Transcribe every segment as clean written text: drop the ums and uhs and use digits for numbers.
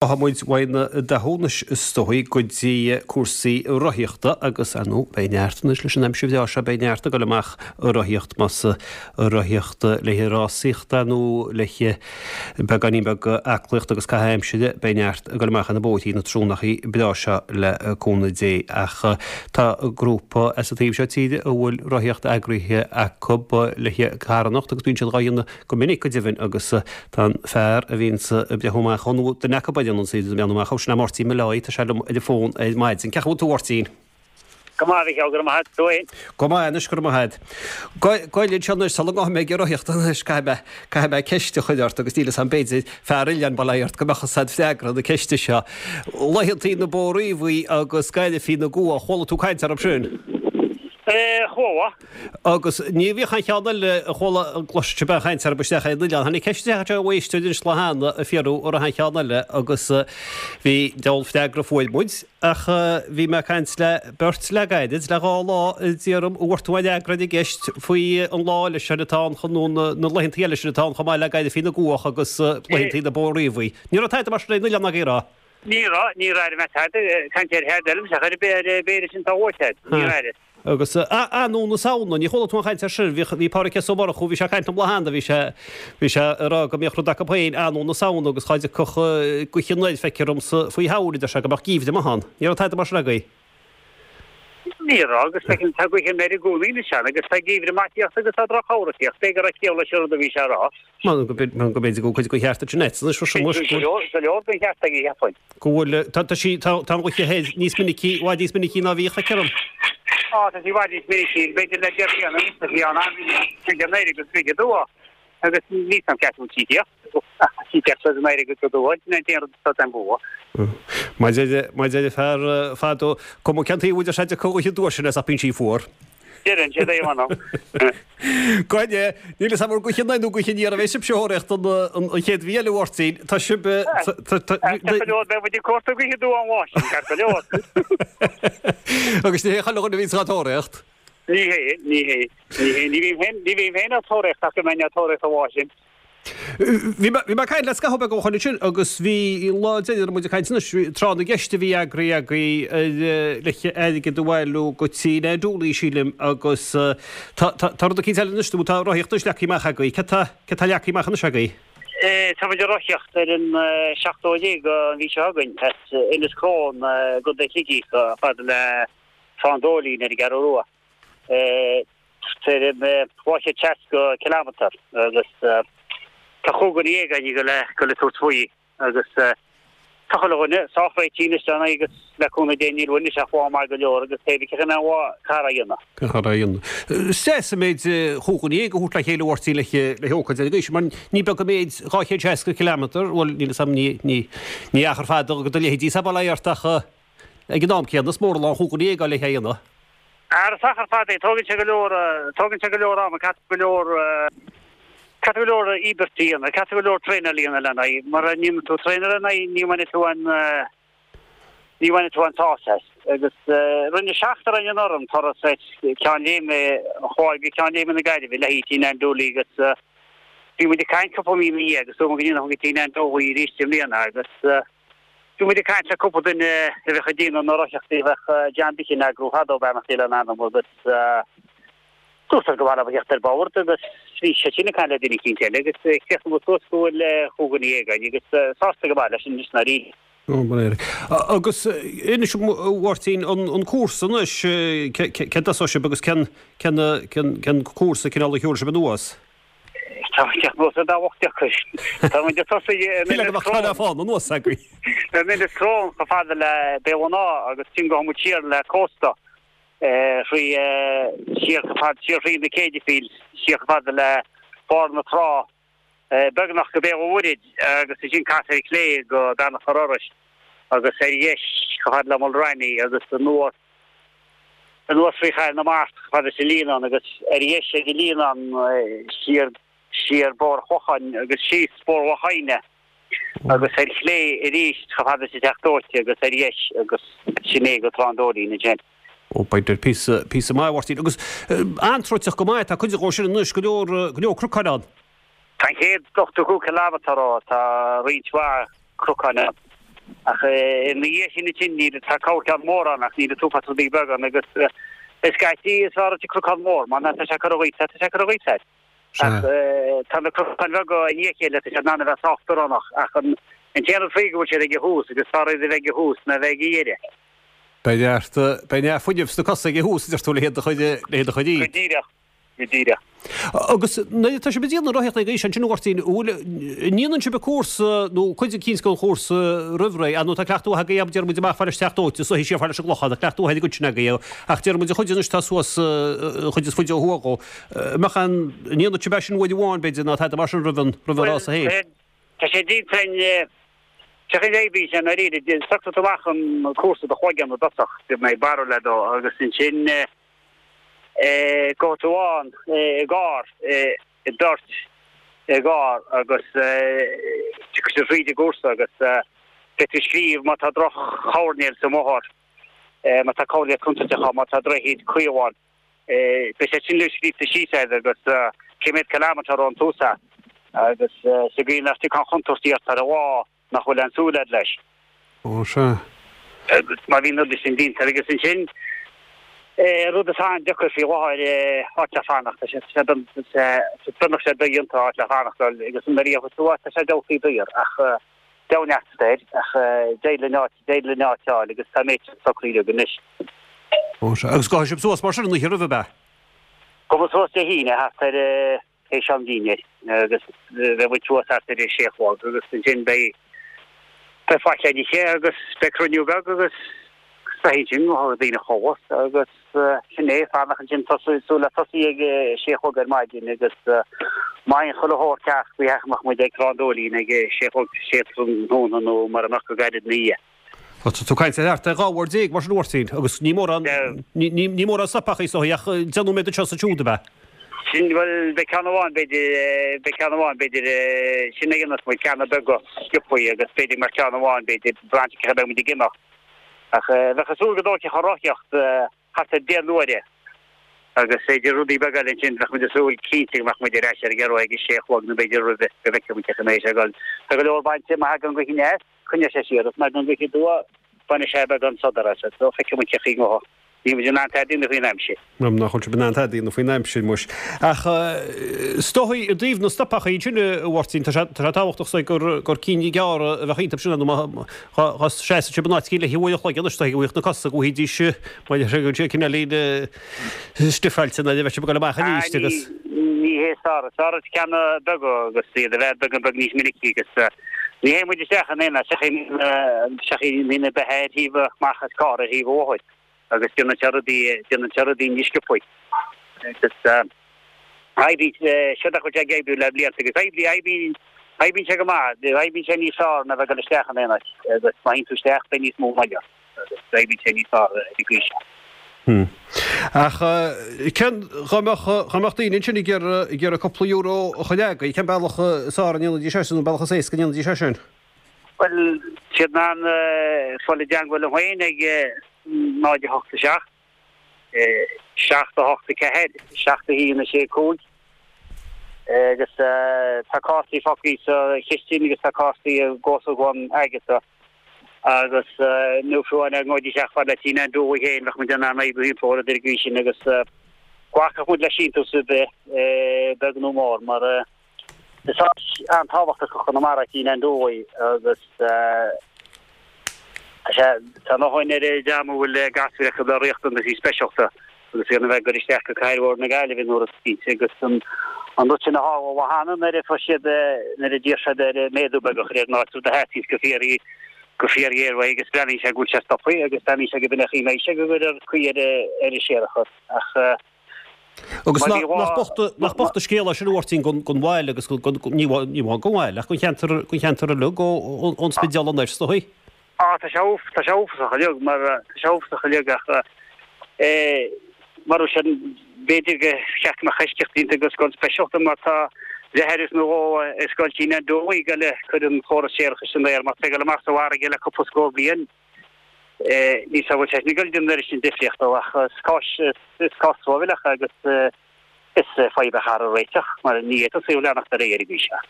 Tá muid uaidh na datúnais is dóigh go dtí cúrsaí rothaíochta agus, ar ndóigh, beidh neart anois leis an aimsir bhreá seo, beidh neart ag dul amach ag rothaíocht, más ag rothaíocht le haghaidh rásaíochta nó le haghaidh beagáinín beag aclaíochta agus caitheamh aimsire, beidh neart ag dul amach ar na bóithrí na tráthnónachaí breá seo le cúnamh Dé. Ach tá grúpa as an taobh seo tíre a bhfuil rothaíocht eagraithe acu le haghaidh carthanacht agus bíonn siad dhá dhéanamh go minic go deimhin agus tá an fear a bhíonns ag breathnú amach ann, nó duine acu a dhéananns iad ag breathnú amach, sin é Máirtín Molloy, tá sé liom ar an bhfón ar maidin. Cén chaoi a bhfuil tú a Mháirtín? Go maith, a Mhichíl, go raibh maith agat, tú fhéin? Go maith anois, go raibh maith agat. Gabh i leith anseo anois, sula ngabhfaidh mé ag rothaíocht anois, caithfidh mé, caithfidh mé ceist a chur ort agus níl 'fhios a'm, b'fhéidir, fear oileáin bail ó Dhia ort, go mbeadh 'fhios a'd freagra na ceiste seo. Laethantaí na Bó Riabhaí agus Gairifí na gCuach, chuala tú caint orthu sin? Eh, chuala. Agus ní bhíodh aon cheann eile a chuala a gcloiseadh sibh aon chaint orthu isteach ar an oileán. Tháinig ceist isteach anseo ó éisteoir anois lá cheana ag fiafraí an raibh aon cheann eile agus bhí diabhal freagra a fuair muid ach bhí mé ag caint le beirt le gairid, le dhá lá a d'iarr orm an bhfuair tú aon fhreagra ar an gceist faoi an lá eile sin atá ann chun nó na laethantaí eile sin atá ann chomh maith le Gairifí na gCuach agus laethantaí na Bó Riabhaí. Ní raibh tada mar sin ar an oileán agaibh, an raibh? Ní raibh, níor airigh mé tada caint ar tada eile, ach ar b'fhéidir sin tá uait agat, níor airigh. Agus Anú na Samhna, ní chuala tú aon chaint air sin, bhí, bhí Pádraig S. Ó Murchú, bhí sé ag caint liom lá cheana, bhí sé, bhí sé ag rá go mbíodh rud acu féin, Anú na Samhna, agus dhá dtiocfadh gaoth anoir, feictear dhomsa, faoi shamhail, a deir sé, go mbeadh geimhreadh maith ann. Ní raibh tada mar sin agaibh. Ní raibh, agus feicim, tá gaoth anoir i gcónaí anois ann, agus tá geimhreadh maith ag tíocht agus tá droch-shamhradh ag tíocht, b'fhéidir go raibh ciall leis an rud a bhí sé a rá. Mar go mb'fhéidir go bhfuil cuid den cheart ansin anois, Go leor, go leor den cheart aige, cheapfainn. Go bhfuil, tá, tá sí, tá, tá an ghaoth thoir níos minicí, i bhfad níos minicí ná bhíodh, feictear dhom. Á, tá sí i bhfad níos minicí, b'fhéidir le 10 bliana anuas, tá sí ann an-mhinic, tríd an oir agus tríd an dtuath. Agus níl 's a'm ceart bhfuil sí ag tíocht, ach sí ag tíocht tríd an oir agus an dtuath, sin é an t-aon rud atá den bhua. Mar deir, mar deir fear fadó, cuma cén taobh a deir sé a dtiocfaidh an ghaoth aduaidh sin as ach bíonn sí fuar. Deireann siad é, m'anam. Goidé, níl 'fhios a'm an gaoth anoir nó gaoth aniar a bheidh sibhse a thóraíocht an chéad mhí eile, a Mháirtín. Tá sibh. Ceart go leor, beidh muid ag cuartú gaoth aduaidh an lá sin, ceart go leor. Agus ní hé chuile dhuine a bhíonns á tóraíocht. Ní hé, ní hé, ní hé, ní bhím féin, ní bhím féin á tóraíocht ach go mbeinn á tóraíocht an lá sin. Bhí mé ag caint le scaitheamh beag ó shoin ansin agus bhí lá deireanach muid ag caint anois, tráth na gceist a bhí eagraithe agaibh le airgead a bhailiú go Tigh Nan Dooley sílim agus tá tá rud eicínt eile anois nó tá rothaíocht anois leagtha amach agaibh. Céard tá céard tá leagtha amach anois agaibh? Tá muid ag rothaíocht ar an 17ú an mhí seo chugainn as Inis Crón i gContae Shligigh chomh fada le Trá an Dóilín ar an gCeathrú Rua. Tuairim 260 cileámatar agus tá chúig dhuine dhéag againn ag dul ag tabhairt faoi agus tá chuile dhuine sách réitithe anois lena agus le cúnamh Dé níl uainn anois ach lá maith go leor agus pé bith cé mhéad carr á dhéanamh. Carr á dhéanamh. Is deas an méid chúig dhuine dhéag a thabhairt le chéile a Mháirtín le hócáid ar an gcaoi sin mar ní beag an méid 260 cileámatar, bhuel níl 'fhios a'm ní achar fada do leithéidí sa baile ort ach ag an am céanna is mór an lá an chúig dhuine dhéag le a dhéanamh. Ara is achar fada é, tógann sé go leor, tógann sé go leor ama, caithfidh go leor, caithfidh go leor íobairt a dhéanamh, caithfidh go leor traenáil a dhéanamh lena aghaidh, mura ndéanann tú traenáil lena aghaidh ní bhainfidh tú an, ní bhainfidh tú an sásamh as. Agus rinne seachtar againn anuraidh an turas as Ceann Léime, an Chláir go Ceann Léime na Gaillimhe le haghaidh Tigh Nan Dooley agus bhí muid ag caint cúpla mí ina dhiaidh agus dúirt muid go ndéanfadh muid Tigh Nan Dooley arís i mbliana agus, Bhí muid ag caint le cúpla duine a bheadh ag déanamh na rothaíochtaí a bheadh John Dickin ag eagrú fadó, beannacht Dé lena anam, agus dúirt go mba mhaith leo a theacht ar bord agus bhí siad sin ag caint le duine eicínt eile agus chríochnaigh muid suas go bhfuil chúig dhuine dhéag againn agus sásta go maith leis anois ndáiríre. Agus inis a Mháirtín, an cúrsa anois, cén dtosóidh sibh agus cén cúrsa cineál a thiúrfaidh sibh anuas? Tá muid anuas ar dá bhocht deacair. Tá muid ag tosaí in Inis Crón. fána anuas agaibh. In Inis Crón chomh fada le Béal an Átha agus ansin gabhfaidh muid siar le cósta thrí siar chomh fada siar thrí na Céide Fields siar chomh fada le barr na trá beagnach go Béal an Mhuirthead agus ansin casadh ar chlé go Beanach an Fhorais agus ar dheis chomh fada le Mulranny agus anuas anuas faoi Chathair na Mart chomh fada leis an Líonán agus ar dheis ag an Líonán siar siar Bóthar Chlocháin agus síos Bóthar Loch Adhna agus ar chlé arís chomh fada leis an Teach Dóite agus ar dheis agus sin é go Trá an Dóilín ansin. Ó, b'fhéidir píosa, píosa maith, a Mháirtín. Agus an-troiteach go maith, tá cuid dhó sin anois, go leor, go leor cnocáin ann. Tá an chéad 85 cileámatar ó, tá roinnt mhaith cnocáin ann. Ach ina dhiaidh sin ansin níl, tá corrcheann mór ann ach níl an t-uafás rudaí beaga ann agus scaití is fearr duit an cnocán mór mar tá sé curtha dhuit, tá sé curtha dhuit air. Ach tá na cnocáin bheaga i ndiaidh a chéile, tá siad in ann a bheith sách dúshlánach ach an t-aon rud faoi go bhfuil siad ag an thús agus is fearr iad a bheith ag an thús ná a bheith ag an dheireadh. Beidh neart, beidh neart fuinnimh sna cosa ag an thús, a deir tú, le hiad a chur, le hiad a chur Go díreach. Go díreach. Agus nuair atá sibh ag déanamh na rothaíochta ag aois ansin, a Mháirtín, an bhfuil, an ndéanann sibh an cúrsa nó cuid eicínt den chúrsa roimh ré, ar ndóigh tá cleachtadh mhaith agaibh, déarfaidh muid amach fad leis Teach Dóite, is siar fad leis an gClochán, tá cleachtadh mhaith ar an gcuid sin agaibh, ach déarfaidh muid an chuid anois atá suas, an chuid is faide ó thuaidh dhó, an mbeadh an, an ndéanann sibh é sin uair amháin b'fhéidir nó tada mar sin roimh an, roimh an rása féin? Tá sé déanta againn, sé an chaoi a oibríonn sé i ndáiríre, socraíonn tú amach an cúrsa i do chloigeann i dtosach, go mbeidh barúil agat dó agus ansin, Gabhfaidh tú ann i gcarr, i beirt i gcarr agus tiocfaidh sibh thríd an gcúrsa agus beidh tú ag scríobh má tá droch-choirnéal sa mbóthar, má tá coirnéal contúirteach ann, má tá droichead caol ann. Beidh sé sin uilig scríofa síos agat agus cé mhéad kilometre ón tús é agus sa gcaoi nach dtiocfaidh aon chontúirtí ort ar an lá. nach bhfuil aon súil agat leis. Ó, sea. Agus má bhíonn na rudaí sin déanta agus ansin, rud atá an-deacair faoi láthair, áit le fanacht, tá sé, tá sé, beagnach sé dodhéanta áit le fanacht a fháil agus nuair a gheobhas tú áit tá sé diabhaltaí daor ach deimhneacht air ach d'éirigh linn áit, d'éirigh linn áit a fháil agus tá an méid sin socraithe againn anois. Ó, sea. Agus gabhfaidh sibh suas mar sin an oíche roimhe, ab ea? Gabhfaidh muid suas Dé hAoine thart ar. théis am dinnéir agus beidh muid suas thart ar a sé a chlog agus ansin beidh beidh faic le n-ithe agus beidh cruinniú beag agus beidh ansin gabhfaidh daoine a chodladh agus sin é, fanacht ansin tosú súil le tosaí ag a sé a chlog ar maidin agus má théann chuile shórt ceart faoi theach mbeadh muid ag Trá an Dóilín ag a sé a chlog sé tráthnóna nó mura mbeadh go gairid ina dhiaidh. Tá tú ag caint ar thart ar 12 uair mar sin a Mháirtín, agus ní mórán, ní mórán stopachaí is dóigh ach 10 nóiméad anseo is ansiúd, ab ea? Sin, bhuel, beidh ceann amháin, b'fhéidir, beidh ceann amháin, b'fhéidir, sin a dhéanfas muid, ceanna beaga sciobthaí agus b'fhéidir go mbeadh ceann amháin, b'fhéidir, braitheann cén chaoi a mbeidh muid ag imeacht. Ach bheadh ag súil go dtógfadh an rothaíocht thart ar 10 n-uaire agus b'fhéidir rudaí beaga eile ansin, bheadh muid ag súil cinnte go mbeadh muid ar ais ar an gCeathrú ag a sé a chlog nó b'fhéidir roimhe, go bhfeicfidh muid cén chaoi a mbeidh sé ag dul. Tá go leor bainte, má thagann gaoth aneas. Coinneoidh sé siar, agus má thagann gaoth aduaidh, bainfidh sé beagán sodar as, so feicfidh muid cén chaoi a ngabhfaidh. Níl muid in ann tada a dhéanamh faoin aimsir. Nach bhfuil sibh in ann tada a dhéanamh faoin aimsir, muis. Ach is dóigh, i dtaobh na stopachaí ansin, a Mháirtín, tá sé tábhachtach is dóigh gur gur cinn ghearra a bheadh iontu sin, nó má dhá seasann sibh in áit éicint le huair an chloig anois, is dóigh go bhfuigheadh na cosa, go bhfaighidís, mar a thugann siad, cineáilín stifeáilte nuair a bheadh sibh ag dul amach arís agus. Ní hé is fearr. Is fearr ceanna beaga agus iad a bheith beagán beag níos minicí agus ní théann muid isteach in aon áit seachas daoine beithe ar thaobh amach as carr ar thaobh an bhóthair agus déanann sé rudaí déanann sé rudaí níos sciobthaí agus oibríonn sé nach bhfuil sé ag oibriú le blianta agus oibrí oibríonn oibríonn sé go maith oibríonn sé níos fearr ná bheith ag dul isteach in aon áit agus má théann tú isteach beidh níos mó moille ort. agus oibríonn sé níos fearr ar an gcaoi seo. Ach cén, dá mbeadh, dá mbeadh daoine ansin ag iarraidh, ag iarraidh cúpla euro a chur agaibh, cén bealach is fearr a ndéanfaidís é sin, nó an bealach is éasca a ndéanfaidís é sin? Bhuel, tá siad in ann fáil i dteangmháil liom féin ag 0 8 7, 7 8 4, 7 1 6 5 agus tá cártaí fágtha sa chistin agus tá cártaí i gcomhsa dhom agatsa agus nó fiú amháin dá ngabhfaidís isteach fad le Tigh Nan Dúlaigh féin bheadh muid in ann oibriú thimpeall orthu ar an gcaoi sin agus glacfadh muid le síntiús ar bith, beag nó mór, mar is áit an-tábhachtach i gConamara Tigh Nan Dúlaigh agus tá sé, tá a ndóthain ar an dream a bhfuil gasúir acu le riachtanaisí speisialta. agus iad a bheith ag goil isteach go Cathair Mhór na Gaillimhe nó rud eicínt agus an rud sin a tharla lá cheana nuair a fuair siad, nuair a d'iarr siad ar méadú beag a chur ar an áit, rud a theastaíonns go fíor, go fíorghéar uaidh agus breathnaíonn sé go bhfuil sé stoptha agus breathnaíonn sé go b'in é an chaoi a mbeidh sé go gcuirfear caoi ar ar an séarachas ach Agus má bhí nach bocht, nach bocht an scéal é sin a Mháirtín don, don bhaile agus don, ní amháin don bhaile ach don cheantar, don cheantar uilig ón Spidéal anoir is dóigh. Á, tá sé, tá sé uafasach uilig, mar, tá sé uafasach uilig ach eh, mar sin, b'fhéidir gur cheart go mbeadh eisceacht déanta do scoil speisialta mar tá deartháir is nó dhó i scoil Tigh Nan Dúlaigh ag goil a cur an chóras séarachais san aer mar tá ag dul amach sa bhfarraige le cúpla scór bliain. Eh, ní sa bhfuil sé sin ag dul déanamh an oiread sin difríochta ach is cás, is cás truamhéileach agus eh, is fadhb a chaithfear a réiteach mar ní fhéadfadh saol leanacht ar aghaidh ar an gcaoi seo.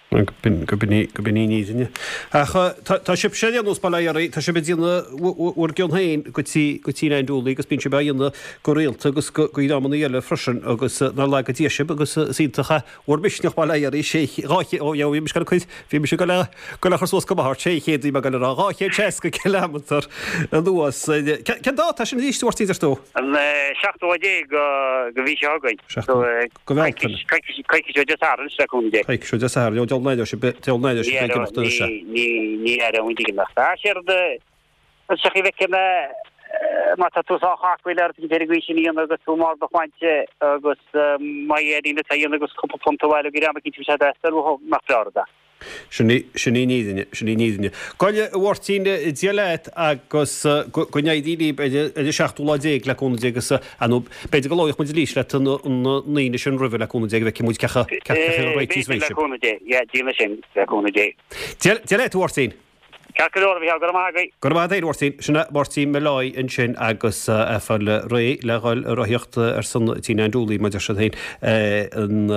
Go b'in í, go b'in í an fhírinne. Ach tá sibhse ar aon nós, bail ó Dhia oraibh, tá sibh ag déanamh bhur gcion féin go tí, go Tí Nan Dooley agus bíonn sibh á dhéanamh go rialta agus go dreamanna eile freisin agus nár laga Dia sibh agus is iontach é bhur misneach, bail ó Dhia oraibh, sé, 200, ó, bhí mise ag goil a cur, bhí mise ag goil a, goil a chur suas go maith ort, 600 bhí mé ag goil a rá, 260 kilometre anuas. Cén dáta é sin arís, a Mháirtín, deir tú? An seachtú lá déag den mhí seo chugainn. Go Bhealtaine. Coicís ó Dé Sathairn, le cúnamh Dé. Coicís ó Dé Sathairn, ó deabhal an aire sibh, deabhal an aire sibh ag imeacht anois. Ní aireoidh muid ag imeacht. Ach séard an tsochaí bhfeicfidh mé má tá tú sách aclaí le rud éicint ar an gcaoi sin a dhéanamh agus tú marbh do shláinte agus má éiríonn leat é a dhéanamh agus cúpla punt a bhailiú go dream eicínt bhí sé deas nach breá rud é. Sin í, sin í an fhírinne, sin í an fhírinne. Go, a Mháirtín, Dia leat agus go n-éirí libh ar an seachtú lá déag le cúnamh Dé agus, ar ndóigh, b'fhéidir go labhróidh muid arís leat an Aoine sin roimhe le cúnamh Dé go bhfeicfidh muid cé chomh, cé chomh réitithe is a bheidh B'fhéidir le sibh. cúnamh Dé, yeah, déanfaidh sin, le cúnamh Dé. Dia, Dia leat, a Mháirtín. Ceart go leor, a Mhícheál, go raibh maith agaibh. Go raibh maith agat, a Mháirtín. Sin é Máirtín Molloy ansin agus é ag fáil réidh le dhul ag rothaíocht ar son Tí Nan Dooley, mar a deir siad féin, an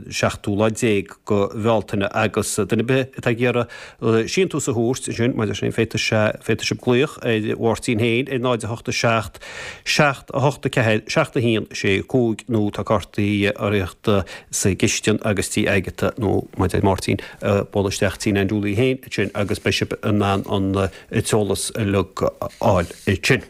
seachtú lá déag go Bhealtaine. Agus duine ar bith atá ag iarraidh síntiús a thabhairt ansin, mar a deir sé féin, féadfaidh sé, féadfaidh sibh glaoch ar Mháirtín féin ar 0 8 7 7 8 4 7 1 6 5 nó tá cártaí rothaíochta sa gcistin agus Tí Agatha nó, mar a deir Máirtín, buail isteach Tí Nan Dooley féin ansin agus beidh sibh in ann an t-eolas uilig a fháil ansin.